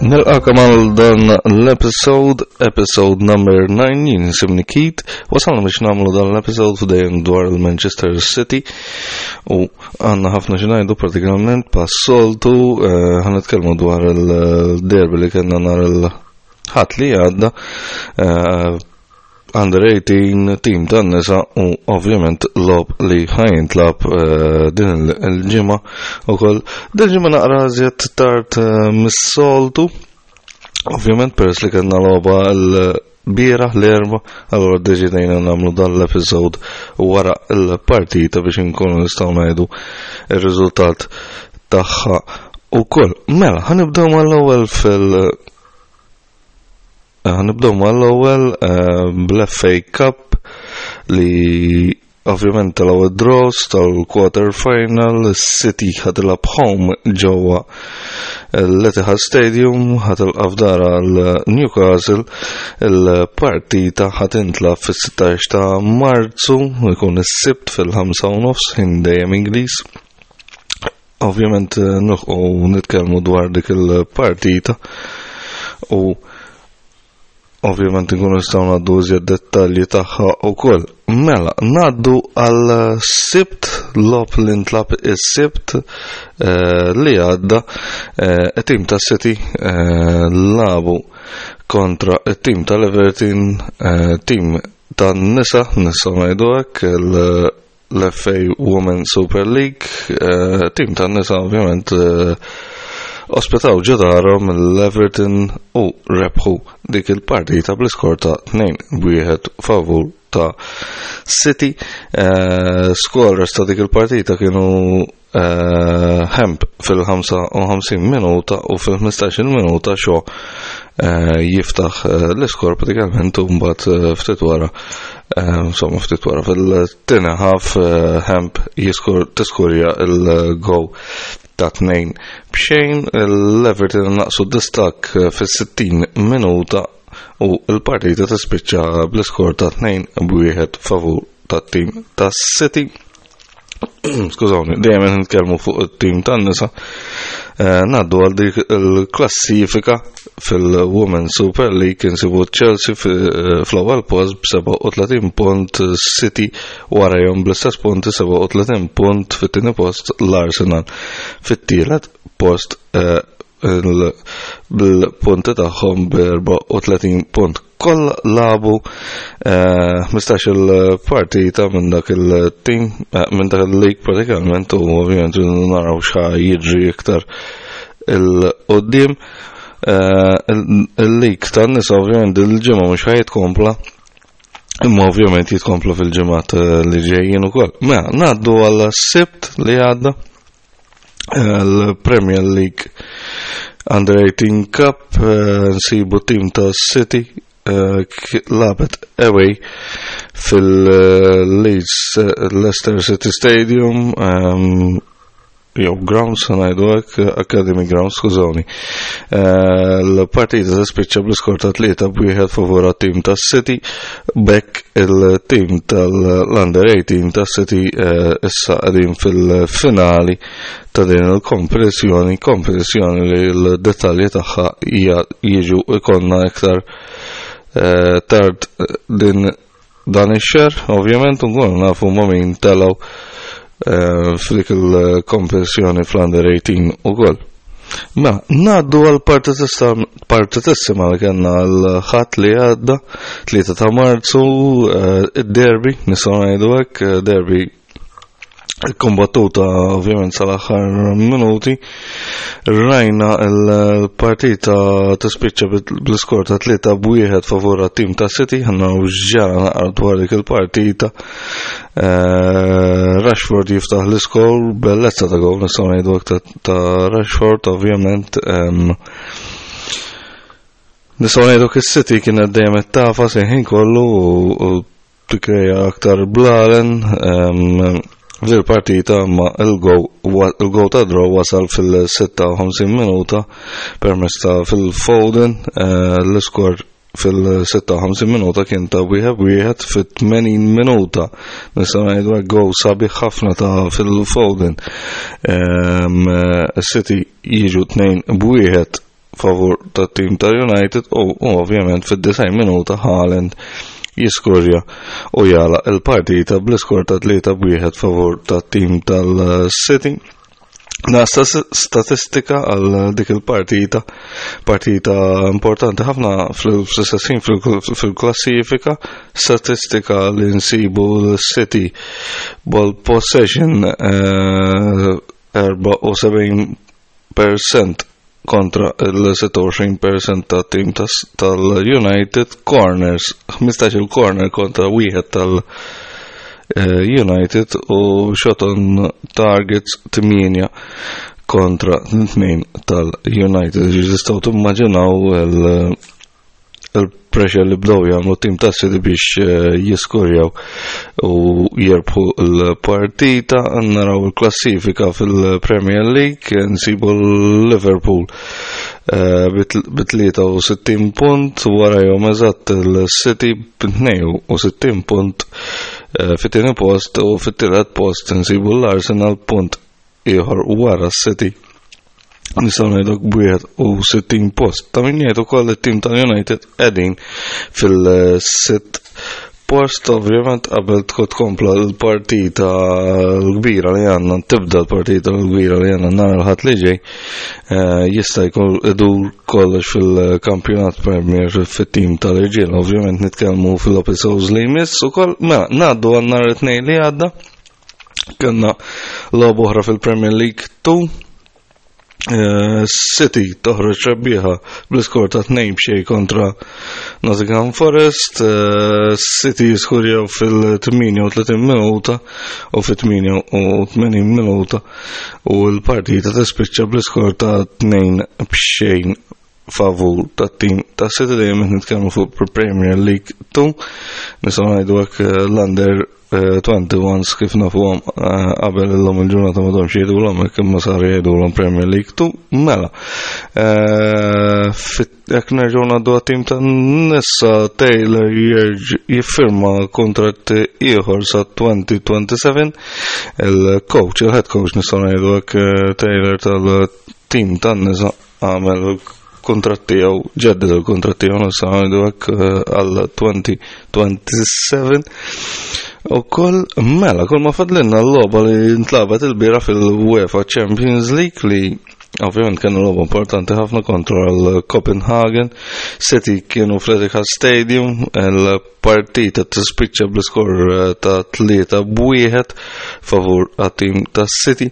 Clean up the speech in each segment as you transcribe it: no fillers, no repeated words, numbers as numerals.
Nilqakom għal dan l-episode, episode number 9, jien jisimni Keith, wasalna biex namlu dan l-episode f'dejjem dwar il-Manchester City u għanna ħafna xinajdu pratikament pas-soltu eh, ħanitkellmu dwar il-derby li kellna nhar il-ħadd li għadda eh, Under 18 tim tan-nisa u ovvjament lob li ħajintlab eh, din il-ġimgħa ukoll. Din il-ġimgħa naqra iżjed tard eh, mis-soltu. Ovvjament peress li kellna logħba l-bieraħ l-erba, allura ddeċidejna nagħmlu dan l-episod wara l-partita biex inkunu nistgħu ngħidu ir-riżultat tagħha ukoll. Mela, ħanibdew mal-ewwel fil- Eh, nibdew mal-ewwel eh, bl-FA Cup li ovvjament tal-ewwel draws tal-quarter final City ħatilab home ġewwa l-Etihad Stadium ħatilqa' f'dara l-Newcastle il-partita ħatintlab fis-16 ta' Marzu jkun is-Sibt fil-5 nofs ħin dejjem Ingliż. Ovvjament eh, nilħqu nitkellmu dwar dik il-partita u ovvjament nkunu nistgħu ngħaddu iżjed dettalji tagħha wkoll. Mela, ngħaddu għal sibt lob li ntlab is-sibt eh, li għadda eh, it-tim ta' City labu kontra it-tim tal-Everton, tim tan-nisa, nistgħu ngħidu hekk, l-FA Women Super League, eh, tim tan nisa ovvjament eh, ospitaw ġodarhom l-Everton u rebħu dik il-partita bl-iskor ta' 2-1 favur ta' City. Eh, scorers ta' dik il-partita kienu Hemp fil-55 minuta u fil-15 minuta xo jiftaħ l-iskor pratikament u mbagħad ftit wara insomma ftit wara fil-tieni ħaf Hemp jiskur tiskurja il-gow ta' tnejn b'xejn l-Everton naqsu distak fis-60 minuta u l-partita tispiċċa bl-iskor ta' 2 b'wieħed favur tat-tim tas-City. Skużawni, dejjem qed nitkellmu fuq it-tim tan-nisa. Eh, Naddu għal dik il-klassifika fil-Women Super League insibu Chelsea eh, fl-ewwel post b'37 punt, City warajhom bl-istess punti 37 punt fit-tieni post l-Arsenal fit-tielet post eh, bil-punti tagħhom b'34 punt. Koll labu 15 eh, il-partita minn dak il-team, eh, minn dak il-league pratikament u ovvjament naraw x'ħa jiġri iktar il-qoddim. Eh, il-league tan-nisa ovvjament il-ġimgħa mhux ħa jitkompla Imma ovvjament jitkomplu fil-ġimgħat li ġejjin ukoll. Mela, ngħaddu għal sibt li għadda l-Premier League Under 18 Cup eh, nsibu tim ta' City eh, labet away fil-Leeds eh, Leicester City Stadium ehm, jew grounds ngħidu hekk Academy Grounds skużawni. L-partita tispiċċa bl-iskor ta' tlieta b'wieħed favur tim ta' City bekk il-tim tal-Under 18 ta' City eh, issa qegħdin fil-finali ta' din il-kompetizzjoni, kompetizzjoni li l-dettalji tagħha jiġu ikonna iktar eh, tard din dan ix-xahar, ovvjament nkunu nafu ma' min telgħu eh, f'dik il-kompetizzjoni fl-Under 18 ukoll. Mela, ngħaddu għal partitissima li kellna l-ħadd li għadda, 3 ta' Marzu, eh, id-derby, nistgħu ngħidu hekk, eh, derby kombattuta ovvjament sal-aħħar minuti. Rajna l-partita tispiċċa bl-iskor ta' 3 b'wieħed favur tim ta' City, ħanna ġara naqra dwar dik il-partita. Eh, Rashford jiftaħ l-iskor, bellezza ta' gol, nistgħu ngħidu ta' Rashford, ovvjament. Nistgħu ngħidu is-City kienet dejjem qed tafa ħin kollu u tikkreja aktar blalen fil-partita ma il-gow ta' draw wasal fil-56 minuta permezz ta' Phil Foden eh, l-iskor fil-56 minuta kien ta' wieħed wieħed fit-80 minuta. Nistgħu ngħidu hekk gow sabiħ ħafna ta' Phil Foden. Ehm, City jiġu tnejn b'wieħed. favur tat-tim tal-United u ovvjament fid-90 minuta Haaland jiskorja u jala il-partita bl-iskor ta' 3-1 favur tat-tim tal-City. Na statistika għal dik il-partita, partita importanti ħafna fl-istessin fil-klassifika, statistika li nsibu l-City ball possession 74% kontra il-26% ta' tim tal-United corners, 15 il-corner kontra wieħed tal-United u shot on targets 8 kontra 2 tal-United. Tistgħu timmaġinaw il-pressure li bdew jagħmlu tim ta' City biex jiskorjaw u jirbħu l-partita. Naraw il-klassifika fil-Premier League, nsibu l-Liverpool bi 63 punt, warajhom eżatt il-City b'62 punt fit-tieni post, u fit-tielet post nsibu l-Arsenal punt ieħor wara s-City. Nistgħu ngħidu b'wieħed u 60 post. Ta' min jgħid ukoll it-tim tal-United qegħdin fil-sitt post, ovvjament qabel tkun tkompla l-partita l-kbira li għandna, tibda l-partita l-kbira li għandna nhar il-Ħadd li ġej, jista' jkun idur kollox fil-kampjonat Premier fit-tim tal-irġiel. Ovvjament nitkellmu fil-episodes li jmiss ukoll. Mela, ngħaddu għal nhar it-Tnejn li għadda. Kellna logħba oħra fil-Premier League 2. City toħroġ rebbieħa bl-iskor ta' 2-0 kontra Nottingham Forest. City jiskurjaw fil-38 minuta u fit-88 minuta u l-partita tispiċċa bl-iskor ta' 2-0 favur ta' tim ta' City. Dejjem qed nitkellmu fuq Premier League 2. Nistgħu ngħidu hekk, l-under 21 kif nafuhom qabel illum il-ġurnata ma domx jgħidulhom hekk imma saru jgħidulhom Premier League 2. Mela, jekk nerġgħu ngħaddu għat-tim ta' nisa, Taylor jiffirma kontratt ieħor sa 2027. Il-coach, il-head coach nistgħu ngħidu hekk, Taylor tal-tim tan-nisa għamel kuntratt tiegħu, ġedded il-kuntratt tiegħu nistgħu ngħidu hekk, għal 2027. U koll, mela, kull ma fadlinna l-logħba li ntlagħbet il-bieraħ fil-UEFA Champions League li ovvjament kienu logħba importanti ħafna kontra l-Copenhagen. City kienu fl-Etihad Stadium, il-partita tispiċċa bl-iskor ta' 3-1 favur għat-tim ta' City.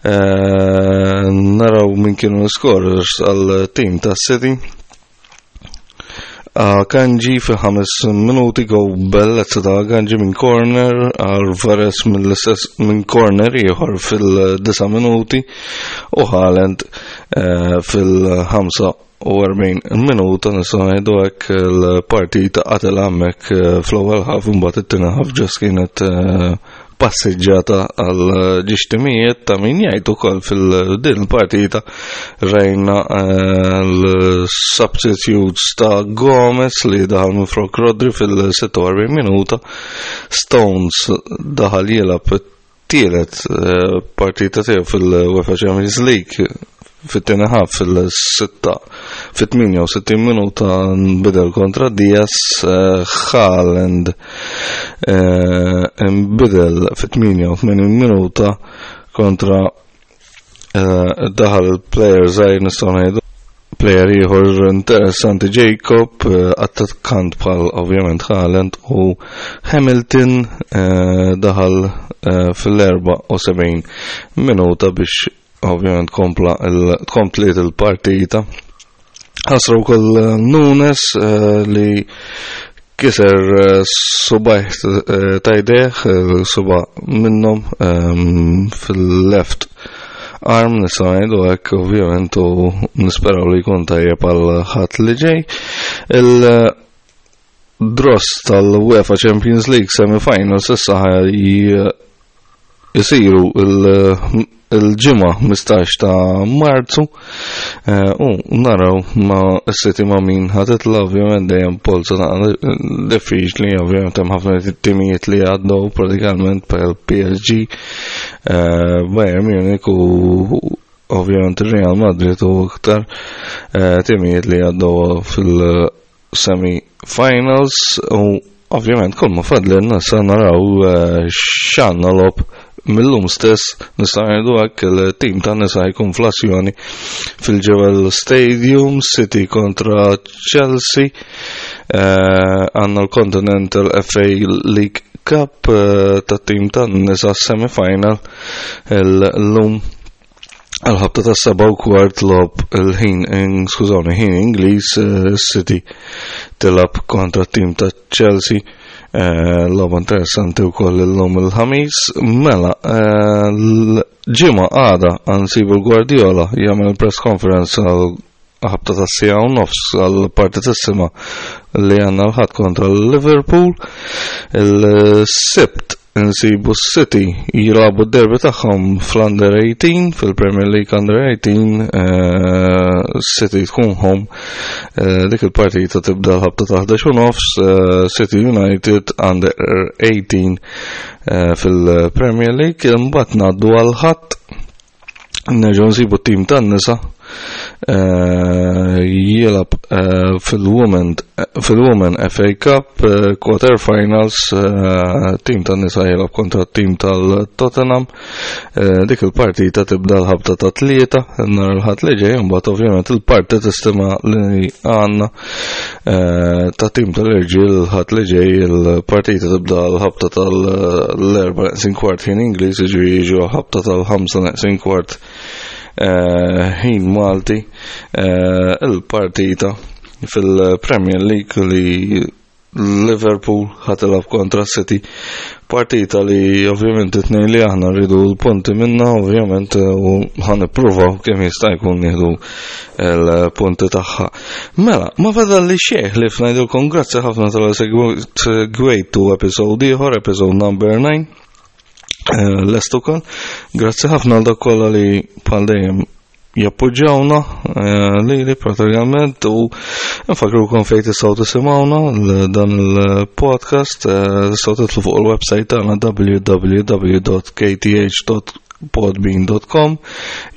Naraw min kienu l-scorers għal-tim ta' City. Akanji fi 5 minuti, go bellezza ta' Akanji minn corner, Alvarez mill-istess minn corner ieħor fil-9 minuti u Haaland fil-45 minuta. Nistgħu ngħidu hekk, il-partita qatel hemmhekk fl-ewwel half, imbagħad it-tieni half just kienet passiġġata għal żewġ timijiet. Ta' min jgħid ukoll fil-din il-partita rajna l-substitutes ta' Gomez li daħal minn flok Rodri fil-46 minuta, Stones daħal jilgħab tielet partita tiegħu fil-UEFA Champions League fit-tieni half fil-6 fit-68 minuta nbidel kontra Diaz, Haaland nbidel fit-88 minuta kontra daħal il-player żgħir, nistgħu ngħidu player ieħor interessanti, Jacob, attakkant bħal ovvjament Haaland, u Hamilton daħal fil-74 minuta biex ovvjament kompla komplet il-partita. Ħasra wkoll Nunes li kiser subgħajh ta' jdejh, suba' minnhom fil-left arm nistgħu ngħidu hekk ovvjament, u nisperaw li jkun tajjeb għal Ħadd li ġej. Il-draws tal-UEFA Champions League semi-finals issa jisiru il-ġimgħa 15 ta' Marzu, u naraw ma s-City ma' min ħa titla'. Ovvjament dejjem polza ta' diffiċli, ovvjament hemm ħafna timijiet li għaddew pratikament bħal PSG, Bayern Munich u ovvjament Real Madrid u iktar eh, timijiet li għaddew fil-semi finals u ovvjament kull ma fadlilna sa naraw eh, x'għandna logħob mill-lum stess nista' ngħidu hekk il-tim ta' nisa jkun fl-azzjoni fil-Jewel Stadium City kontra Chelsea eh, għandna l-Continental FA League Cup eh, ta' tim ta' nisa semifinal l-lum għal-ħabta ta' 7:15 lob il-ħin, skużawni, ħin Ingliż eh, City tilab kontra tim ta' Chelsea. Eh, logħba interessanti wkoll illum il-ħamis. Mela, eh, l-ġimgħa għada għansibu l-Guardiola jagħmel press conference għal ħabta ta' sija u nofs għal partitissima li għanna l-ħadd kontra l-Liverpool. Il-Sibt insibu s-City jilagħbu d-derby tagħhom fl-Under 18 fil-Premier League Under 18 eh, City tkun home eh, dik il-partita tibda l-ħabta ta' 11 u nofs eh, City United Under 18 fil-Premier League imbagħad ngħaddu għal ħadd Nerġgħu nsibu t-tim tan-nisa eh, jilab eh, fil-Women fil-Women FA Cup eh, quarter finals tim tan-nisa jilab kontra t-tim tal-Tottenham. Dik il-partita tibda l-ħabta ta' tlieta nhar il-ħadd li ġej imbagħad ovvjament il-parti tistima li għandna ta' tim tal-irġiel ħadd li ġej il-partita tibda l-ħabta tal-erba neqsin kwart ħin Ingliż, jiġifieri jiġu ħabta tal-ħamsa neqsin kwart eh, ħin Malti eh, il-partita fil-Premier League li Liverpool ħatilab kontra City. Partita li ovvjament it-tnejn li aħna rridu l-punti minna, ovvjament u ħan ippruvaw kemm jista' jkun nieħdu l-punti tagħha. Mela, ma fadal li xejn li fnajdilkom grazzi ħafna tal-segwejtu episode ieħor, episode number 9. Eh, lest ukoll. Grazzi ħafna għal dak kollha li bħal dejjem jappoġġjawna eh, lili pratikament u nfakrukom fejn tistgħu tisimgħuna dan il-podcast eh, tistgħu titlu fuq il-website tagħna www.kth.podbean.com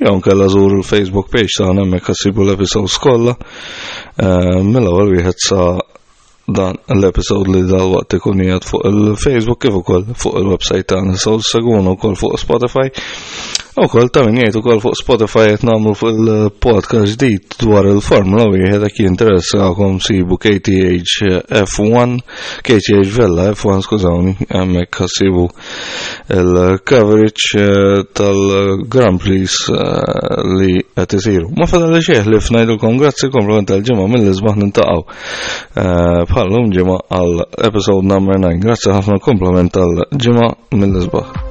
jew nkella żuru l-Facebook page tagħna hemmhekk ħassibu l-episodes kollha eh, mill-ewwel wieħed sa dan l-episode li dal-waqt ikun qiegħed fuq il-Facebook kif ukoll fuq il-website tagħna. So segwuna wkoll fuq Spotify. Ukoll ta' min jgħid ukoll fuq Spotify qed nagħmlu fuq il-podcast ġdid dwar il-Formula wieħed jekk jinteressakom sibu KTH F1, KTH Vella F1 skużawni, hemmhekk ħassibu il-coverage eh, tal-Grand Prix eh, li qed isiru. Ma fadal li xejn li fnajdulkom grazzi komplement tal-ġimgħa mill-isbaħ nintaqgħu eh, bħallum ġimgħa għal episode number 9. Grazzi ħafna komplement tal-ġimgħa mill-isbaħ.